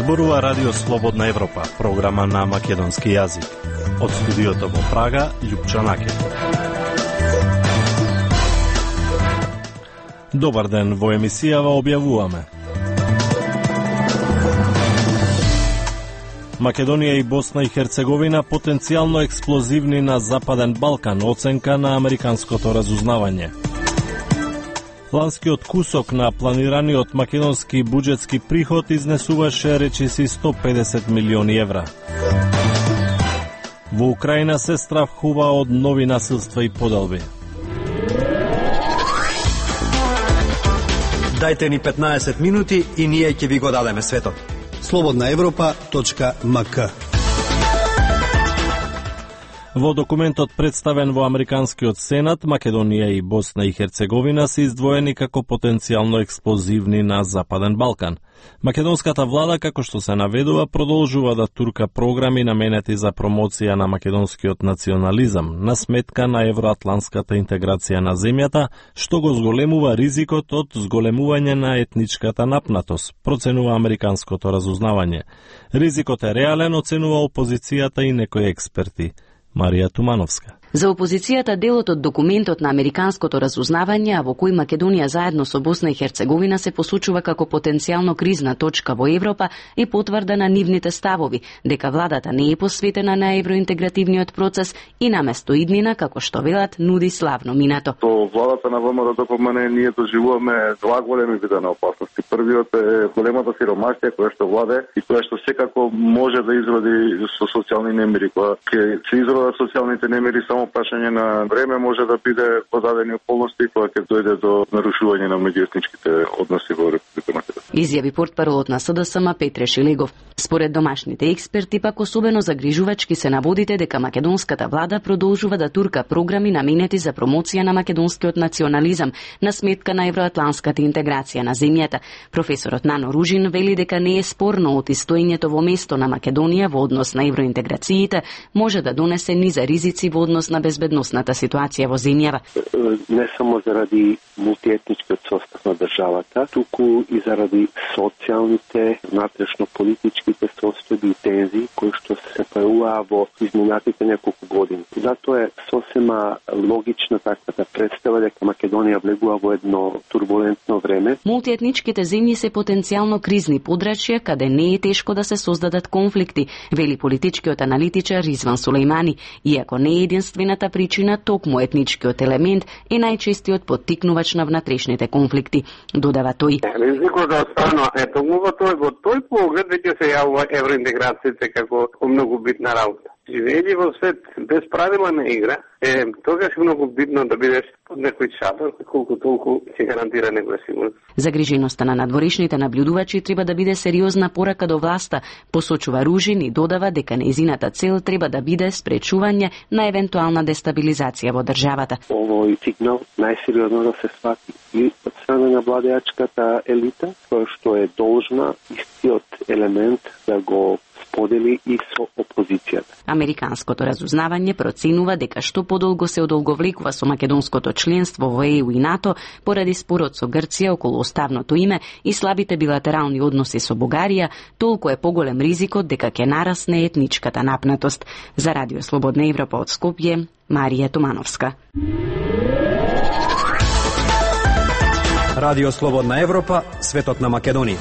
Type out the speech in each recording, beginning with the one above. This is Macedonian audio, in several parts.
Зборува Радио Слободна Европа, програма на македонски јазик. Од студиото во Прага, Љупчо Накет. Добар ден, во емисијава објавуваме. Македонија и Босна и Херцеговина потенцијално експлозивни на Западен Балкан, оценка на американското разузнавање. Ланскиот кусок на планираниот македонски буџетски приход изнесуваше речиси 150 милиони евра. Во Украина се стравхува од нови насилства и поделби. Дајте ни 15 минути и ние ќе ви го дадеме светот. slobodnaevropa.mk. Во документот представен во Американскиот Сенат, Македонија и Босна и Херцеговина се издвоени како потенцијално експлозивни на Западен Балкан. Македонската влада, како што се наведува, продолжува да турка програми наменети за промоција на македонскиот национализам, на сметка на евроатланската интеграција на земјата, што го зголемува ризикот од зголемување на етничката напнатост, проценува американското разузнавање. Ризикот е реален, оценува опозицијата и некои експерти. Марија Тумановска. За опозицијата делот од документот на американското разузнавање, во кој Македонија заедно со Босна и Херцеговина се посочува како потенцијално кризна точка во Европа, е потврда на нивните ставови, дека владата не е посветена на евроинтегративниот процес и наместо иднина, како што велат, нуди славно минато. Со владата на ВМРО-ДПМН ние доживуваме два големи вида на опасности. Првиот е големата сиромаштија која што владе и која што секако може да изроди со социјални немири. Кога ќе се изродат социјалните немири, само прашање на време може да биде подадени околности кога ќе дојде до нарушување на меѓуетничките односи во Република Македонија. Изјави портпаролот на СДСМ Петре Шилегов. Според домашните експерти, пак особено загрижувачки се наводите дека македонската влада продолжува да турка програми наменети за промоција на македонскиот национализам на сметка на евроатланската интеграција на земјата. Професорот Нано Ружин вели дека не е спорно од истоењето во место на Македонија во однос на евроинтеграциите може да донесе низа ризици во однос на безбедносната ситуација во земјава. Не само заради мултиетничкиот состав на државата, туку и заради социјалните, внатрешно-политичките состојби и тензии кои што се појавуваа во изминатите неколку години. Затоа е сосема логична таквата представа дека Македонија влегува во едно турбулентно време. Мултиетничките земји се потенцијално кризни подрачја каде не е тешко да се создадат конфликти, вели политичкиот аналитичар Ризван Сулејмани, иако не е единствената причина, токму етничкиот елемент е најчестиот поттикнувач на внатрешните конфликти, додава тој. Ризикот да останува токму во тој поглед веќе се јавува евроинтеграцијата како многу битна работа. Живеејќи во свет без правила на игра, тогаш е многу битно да бидеш под некој шатор, колку толку ќе гарантира некоја сигурност. Загриженоста на надворешните наблюдувачи треба да биде сериозна порака до власта, посочува Ружин и додава дека нејзината цел треба да биде спречување на евентуална дестабилизација во државата. Овој сигнал најсериозно да се свати и од страна на владеачката елита, која што е должна истиот елемент да го подели и со опозицијата. Американското разузнавање проценува дека што подолго се одолговлекува со македонското членство во ЕУ и НАТО поради спорот со Грција околу оставното име и слабите билатерални односи со Бугарија, толку е поголем ризикот дека ќе нарасне етничката напнатост. За Радио Слободна Европа од Скопје, Марија Тумановска. Радио Слободна Европа, светот на Македонија.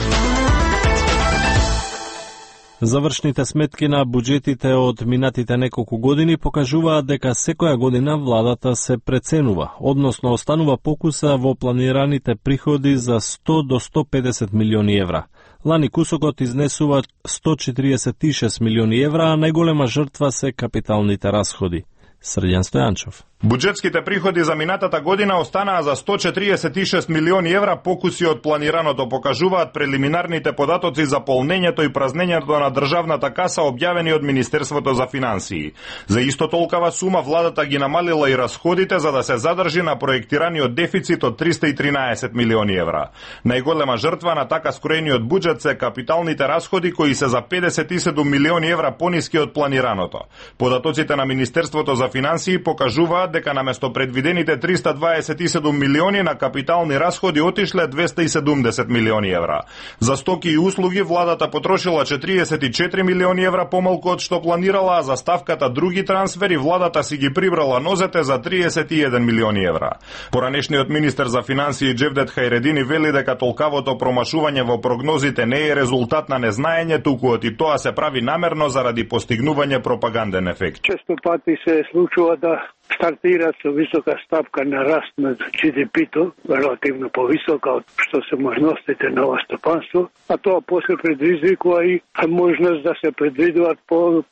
Завршните сметки на буџетите од минатите неколку години покажуваат дека секоја година владата се преценува, односно останува покуса во планираните приходи за 100 до 150 милиони евра. Лани кусокот изнесува 146 милиони евра, а најголема жртва се капиталните расходи. Срđan Стојанчов. Буџетските приходи за минатата година останаа за 146 милиони евра, покуси од планираното покажуваат прелиминарните податоци за полнењето и празнењето на државната каса објавени од Министерството за финансии. За исто толкова сума владата ги намалила и расходите за да се задржи на проектираниот дефицит од 313 милиони евра. Најголема жртва на така скроениот буџет се капиталните расходи кои се за 57 милиони евра пониски од планираното. Податоците на Министерството за финансии покажуваат изјавуваат дека наместо предвидените 327 милиони на капитални расходи отишле 270 милиони евра. За стоки и услуги владата потрошила 44 милиони евра помалку од што планирала, а за ставката други трансфери владата си ги прибрала нозете за 31 милиони евра. Поранешниот министер за финансии Джевдет Хајредини вели дека толкавото промашување во прогнозите не е резултат на незнаење, туку и тоа се прави намерно заради постигнување пропаганден ефект. Често пати се случува да стартира со висока стапка на раст на GDP-то, релативно повисока од што се можностите на ова стопанство, а тоа после предизвикува и можност да се предвидуваат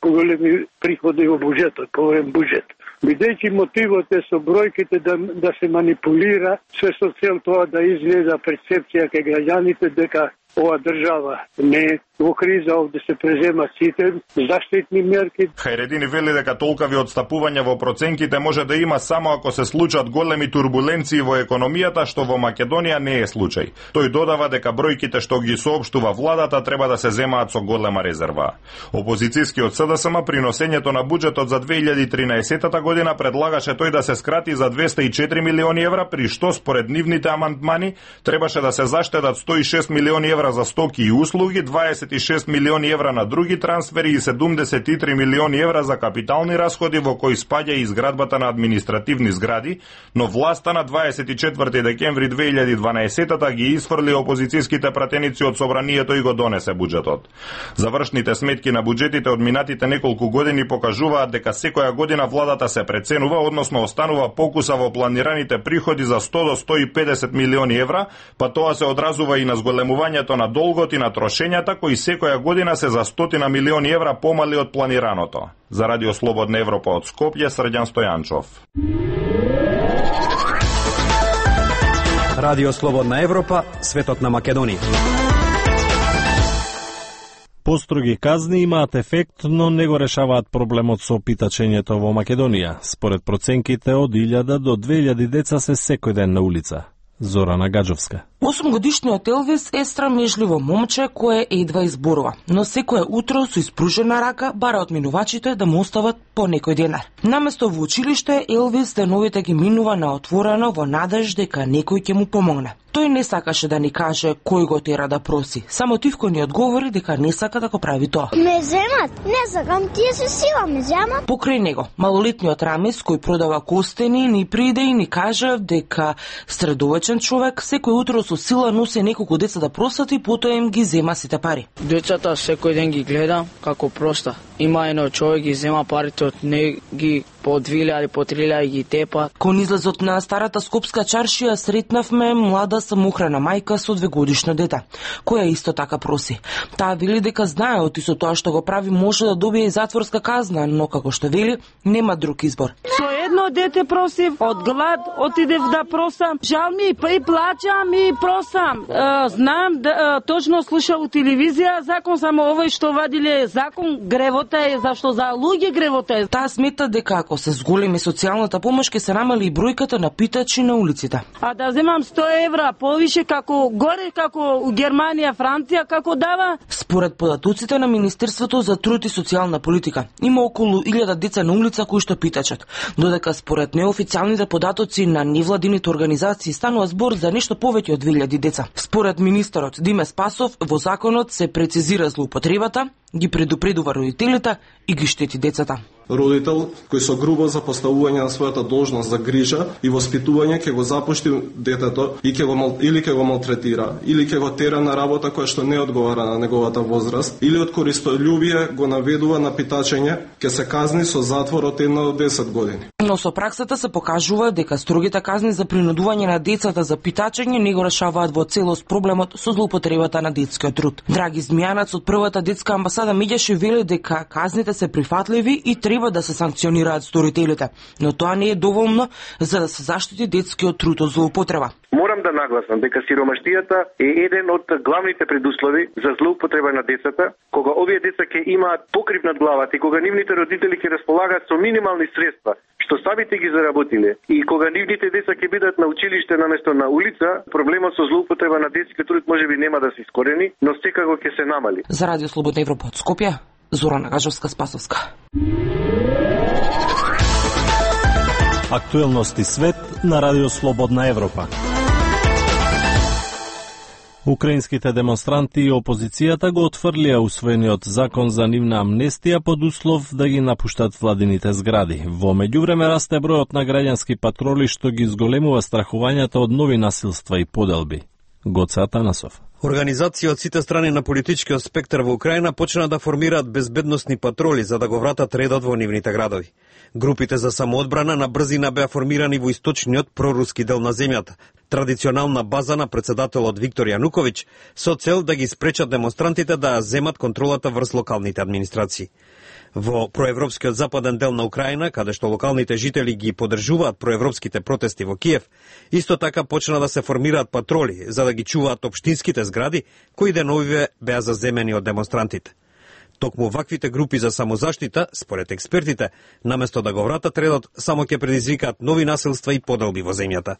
поголеми приходи во буџетот, поголем буџет. Бидејќи мотивот е со бројките да се манипулира, се со цел тоа да изгледа перцепција кај граѓаните дека ова држава не е во криза, овде се преземат сите заштитни мерки. Хајредини вели дека толкави одстапување во проценките може да има само ако се случат големи турбуленции во економијата, што во Македонија не е случај. Тој додава дека бројките што ги соопштува владата треба да се земаат со голема резерва. Опозицијскиот СДСМ при носењето на буџетот за 2013 година предлагаше тој да се скрати за 204 милиони евра, при што според нивните амандмани требаше да се заштедат 106 милиони евра за стоки и услуги, 26 милиони евра на други трансфери и 73 милиони евра за капитални расходи, во кои спаѓа и изградбата на административни згради, но власта на 24 декември 2012 ги изфрли опозицијските пратеници од собранието и го донесе буџетот. Завршните сметки на буџетите од минатите неколку години покажуваат дека секоја година владата се преценува, односно останува покуса во планираните приходи за 100 до 150 милиони евра, па тоа се одразува и на зголемувањето на долгот и на трошењата, кои секоја година се за 100 милиони евра помали од планираното. За Радио Слободна Европа од Скопје, Срđan Стојанчов. Радио Слободна Европа, светот на Македонија. Построги казни имаат ефект, но не го решаваат проблемот со питачењето во Македонија. Според проценките, од 1000 до 2000 деца се секој ден на улица. Зорана Гаджовска. 8-годишниот Елвис е страмежливо момче кое едва изборува, но секое утро со испружена рака бара од минувачите да му остават по некој денар. Наместо во училиште, Елвис деновите ги минува на отворено во надеж дека некој ќе му помогне. Тој не сакаше да ни каже кој го тера да проси. Само Тивко ни одговори дека не сака да го прави тоа. Ме земат, не сакам, тие се сила ме земат. Покрај него, малолетниот Рамис кој продава костени ни приде и ни кажа дека средовечен човек секој утро со сила носи неколку деца да просат и потоа им ги зема сите пари. Децата секој ден ги гледам како проста. Има едно човек ги зема парите од не ги по 2000 по 3000 ги тепа. Кон излезот на старата скопска чаршија сретнавме млада самоохрана мајка со 2-годишно дете, која исто така проси. Таа вели дека знае од исто тоа што го прави може да добие и затворска казна, но како што вели, нема друг избор. Со едно дете просив, од глад отидев да просам. Жал ми и плачам и просам. Знам да точно слушав у телевизија закон, само овој што вадиле закон гревота е зашто за луѓе гревота е. Таа смета дека ако се зголеми социјалната помош ќе се намали и бројката на питачи на улиците. А да земам 100 евра повише како горе како Германија, Франција како дава? Според податоците на Министерството за труд и социјална политика, има околу 1000 деца на улица кои што питачат, додека според неофицијалните податоци на невладините организации станува збор за нешто повеќе од 2000 деца. Според министерот Диме Спасов, во законот се прецизира злоупотребата, ги предупредува родителите и ги штети децата. Родител кој со грубо запоставување на својата должност за грижа и воспитување ќе го запушти детето и ќе го малтретира, или ќе го тера на работа која што не одговара на неговата возраст, или од користољубие го наведува на питачење, ќе се казни со затвор од 1 до 10 години. Но со праксата се покажува дека строгите казни за принудување на децата за питачење не го решаваат во целост проблемот со злоупотребата на детскиот труд. Драги Змијанац од првата детска амбасада Миѓаши вели дека казните се прифатливи и треба да се санкционираат сторителите, но тоа не е доволно за да се заштити детскиот труд од злоупотреба. Морам да нагласам дека сиромаштијата е еден од главните предуслови за злоупотреба на децата, кога овие деца ќе имаат покрив над главата и кога нивните родители ќе располагаат со минимални средства, што самите ги заработиле, и кога нивните деца ќе бидат на училиште наместо на улица, проблемот со злоупотреба на детскиот труд можеби нема да се искорени, но секако ќе се намали. За Радио Слободна Европа од Скопје, Зорана Гаджовска, Спасовска. Актуелности свет на Радио Слободна Европа. Украинските демонстранти и опозицијата го отфрлија усвоениот закон за нивна амнестија под услов да ги напуштат владините згради. Во меѓувреме расте бројот на граѓански патроли што ги зголемува страхувањата од нови насилства и поделби. Гоце Атанасов. Организации од сите страни на политичкиот спектар во Украина почна да формираат безбедносни патроли за да го вратат редот во нивните градови. Групите за самоодбрана на брзина беа формирани во источниот проруски дел на земјата, традиционална база на председателот Виктор Јануковиќ, со цел да ги спречат демонстрантите да земат контролата врз локалните администрации. Во проевропскиот западен дел на Украина, каде што локалните жители ги поддржуваат проевропските протести во Киев, исто така почна да се формираат патроли за да ги чуваат општинските згради кои деновиве беа заземени од демонстрантите. Токму ваквите групи за самозаштита, според експертите, наместо да го вратат редот, само ќе предизвикаат нови насилства и поделби во земјата.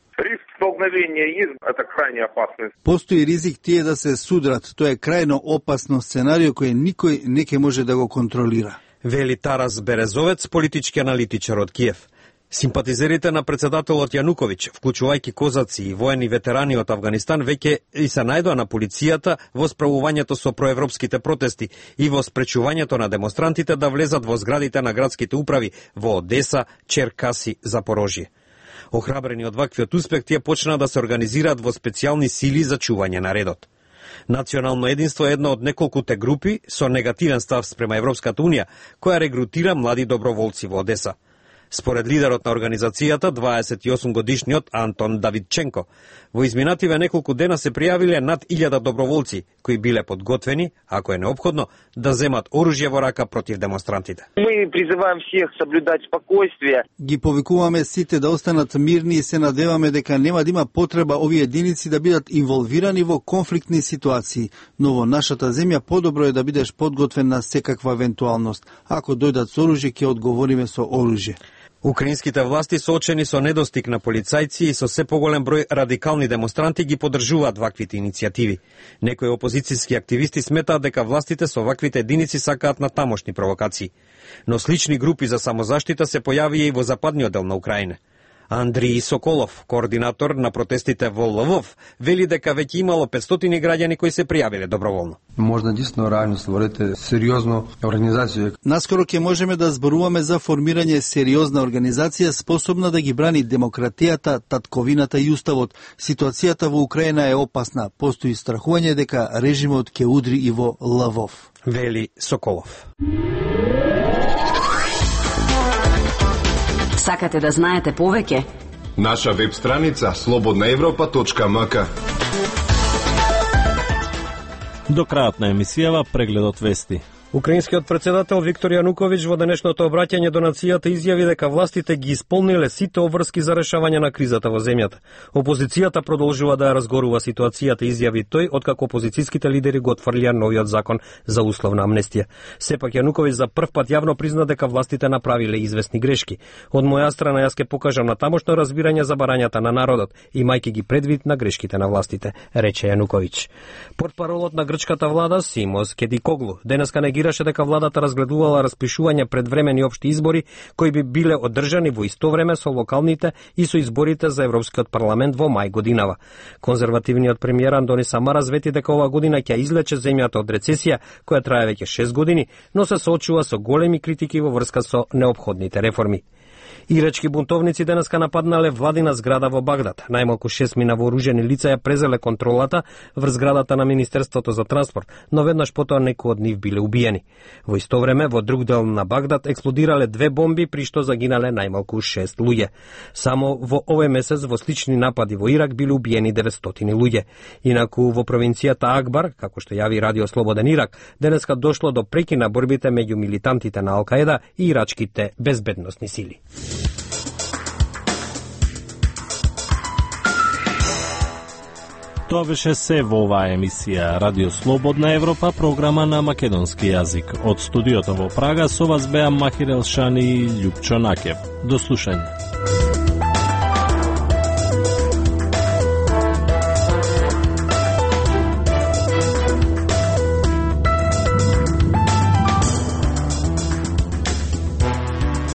Постои ризик тие да се судрат. Тоа е крајно опасно сценарио кое никој не ќе може да го контролира. Вели Тарас Березовец, политички аналитичар од Киев. Симпатизерите на председателот Јануковиќ, вклучувајќи козаци и воени ветерани од Авганистан, веќе и се најдоа на полицијата во справувањето со проевропските протести и во спречувањето на демонстрантите да влезат во зградите на градските управи во Одеса, Черкаси, Запорожје. Охрабрени од ваквиот успех, тие почнаа да се организираат во специјални сили за чување на редот. Национално единство е една од неколкуте групи со негативен став спрема Европската унија, која регрутира млади доброволци во Одеса. Според лидерот на организацијата, 28-годишниот Антон Давидченко, во изминативе неколку дена се пријавиле над 1000 доброволци, кои биле подготвени, ако е неопходно, да земат оружје во рака против демонстрантите. Мы призываем всех соблюдать спокойствие. Ги повикуваме сите да останат мирни и се надеваме дека нема да има потреба овие единици да бидат инволвирани во конфликтни ситуации, но во нашата земја подобро е да бидеш подготвен на секаква евентуалност. Ако дојдат со оружје, ќе одговориме со оружје. Украинските власти соочени со недостиг на полицајци и со се поголем број радикални демонстранти ги поддржуваат ваквите иницијативи. Некои опозицијски активисти сметаат дека властите со ваквите единици сакаат на тамошни провокации. Но слични групи за самозаштита се појавија и во западниот дел на Украина. Андрей Соколов, координатор на протестите во Лвов, вели дека веќе имало 500 граѓани кои се пријавиле доброволно. Можда действително реално створите сериозно организација. Наскоро ќе можеме да зборуваме за формирање сериозна организација способна да ги брани демократијата, татковината и уставот. Ситуацијата во Украина е опасна. Постои страхување дека режимот ќе удри и во Лвов. Вели Соколов. Сакате да знаете повеќе? Наша веб страница slobodnaevropa.mk. До крајот на емисијава прегледот вести. Украинскиот председател Виктор Јануковиќ во денешното обраќање до нацијата изјави дека властите ги исполниле сите обврски за решавање на кризата во земјата. Опозицијата продолжува да ја разгорува ситуацијата, изјави тој, откако опозицијските лидери го отфрлија новиот закон за условна амнестија. Сепак Јануковиќ за прв пат јавно призна дека властите направиле известни грешки. Од моја страна јас ќе покажам на тамошно разбирање за барањата на народот, имајќи ги предвид на грешките на властите, рече Јануковиќ. Портпаролот на грчката влада Симос Кедикоглу денеска негираше дека владата разгледувала распишување предвремени општи избори кои би биле одржани во исто време со локалните и со изборите за Европскиот парламент во мај годинава. Конзервативниот премиер Андони Самара звети дека ова година ќе излече земјата од рецесија која трае веќе 6 години, но се соочува со големи критики во врска со неопходните реформи. Ирачки бунтовници денеска нападнале владина зграда во Багдад. Најмалку 6 вооружени лица ја презеле контролата врз зградата на Министерството за транспорт, но веднаш потоа некои од нив биле убиени. Во исто време, во друг дел на Багдад експлодирале 2 бомби, при што загинале најмалку 6 луѓе. Само во овој месец во слични напади во Ирак биле убиени 900 луѓе. Инаку во провинцијата Акбар, како што јави Радио Слободен Ирак, денеска дошло до преки на борбите меѓу милитантите на Ал-Каеда и ирачките безбедносни сили. Тоа беше се во оваа емисија Радио Слободна Европа, програма на македонски јазик. Од студиото во Прага со вас беа Махир Елшани и Љупчо Накев. До слушање.